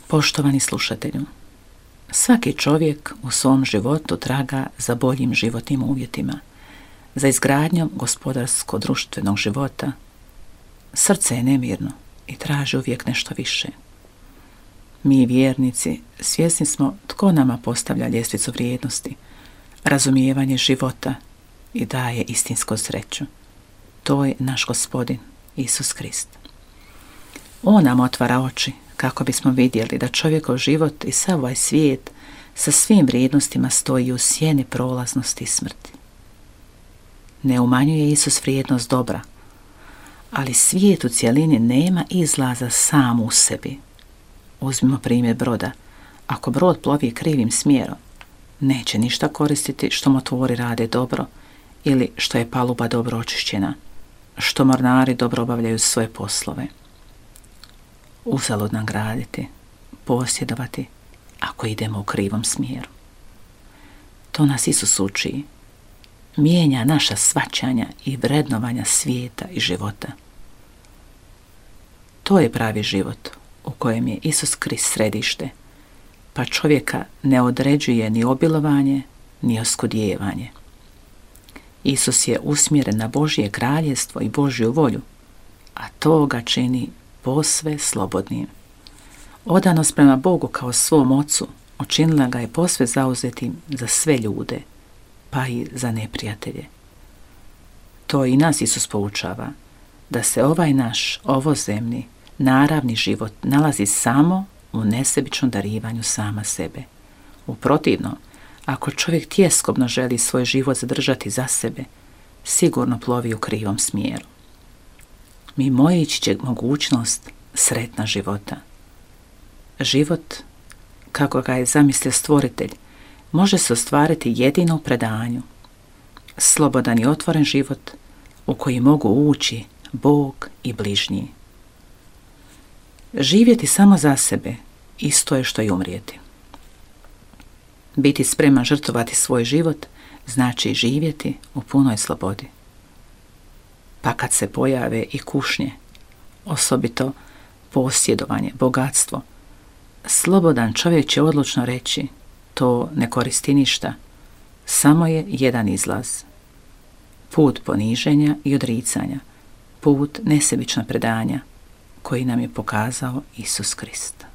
Poštovani slušatelju, svaki čovjek u svom životu traga za boljim životnim uvjetima, za izgradnjom gospodarsko-društvenog života. Srce je nemirno i traži uvijek nešto više. Mi, vjernici, svjesni smo tko nama postavlja ljestvicu vrijednosti, razumijevanje života i daje istinsku sreću. To je naš Gospodin, Isus Krist. On nam otvara oči kako bismo vidjeli da čovjekov život i sav ovaj svijet sa svim vrijednostima stoji u sjeni prolaznosti i smrti. Ne umanjuje Isus vrijednost dobra, ali svijet u cjelini nema izlaza sam u sebi. Uzmimo primjer broda. Ako brod plovi krivim smjerom, neće ništa koristiti što motori rade dobro ili što je paluba dobro očišćena, što mornari dobro obavljaju svoje poslove. Uzalud nam graditi, posjedovati, ako idemo u krivom smjeru. To nas Isus uči. Mijenja naša shvaćanja i vrednovanja svijeta i života. To je pravi život u kojem je Isus Krist središte, pa čovjeka ne određuje ni obilovanje, ni oskudijevanje. Isus je usmjeren na Božje kraljevstvo i Božju volju, a to ga čini posve slobodnim. Odanost prema Bogu kao svom ocu učinila ga je posve zauzetim za sve ljude, pa i za neprijatelje. To i nas Isus poučava, da se ovaj naš ovozemni, naravni život nalazi samo u nesebičnom darivanju sama sebe. U protivno, ako čovjek tjeskobno želi svoj život zadržati za sebe, sigurno plovi u krivom smjeru. Mimoići će mogućnost sretna života. Život, kako ga je zamislio Stvoritelj, može se ostvariti jedino u predanju. Slobodan i otvoren život u koji mogu ući Bog i bližnji. Živjeti samo za sebe isto je što i umrijeti. Biti spreman žrtvovati svoj život znači živjeti u punoj slobodi. Pa kad se pojave i kušnje, osobito posjedovanje, bogatstvo, slobodan čovjek će odlučno reći: to ne koristi ništa, samo je jedan izlaz. Put poniženja i odricanja, put nesebičnog predanja koji nam je pokazao Isus Krist.